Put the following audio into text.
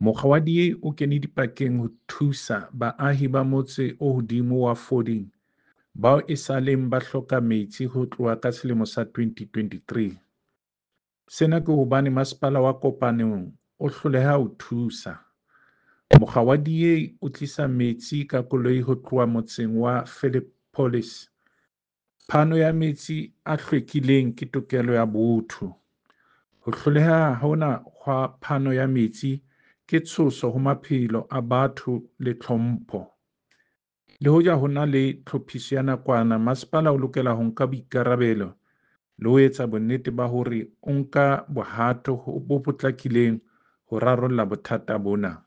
Mokga wa DA o kene dipakeng ho thusa baahi ba motse o hodimo wa Fording bao esaleng ba hloka metsi ho tloha ka selemo sa 2023. Sena ke hobane masepala wa Kopanong o hloleha ho thusa. Mokga wa DA o tlisa metsi ka koloi ho tloha motseng wa Philippolis. Phano ya metsi a hlwekileng ke tokelo ya botho. Ho hloleha hona hwa phano ya metsi ke tshoso ho maphelo a batho le tlhompho. Le hoja ho na le tlhophiso ya nakwana, masepala o lokela ho nka boikarabelo le ho etsa bonnete ba hore o nka bohato bo potlakileng ho rarolla bothata bona.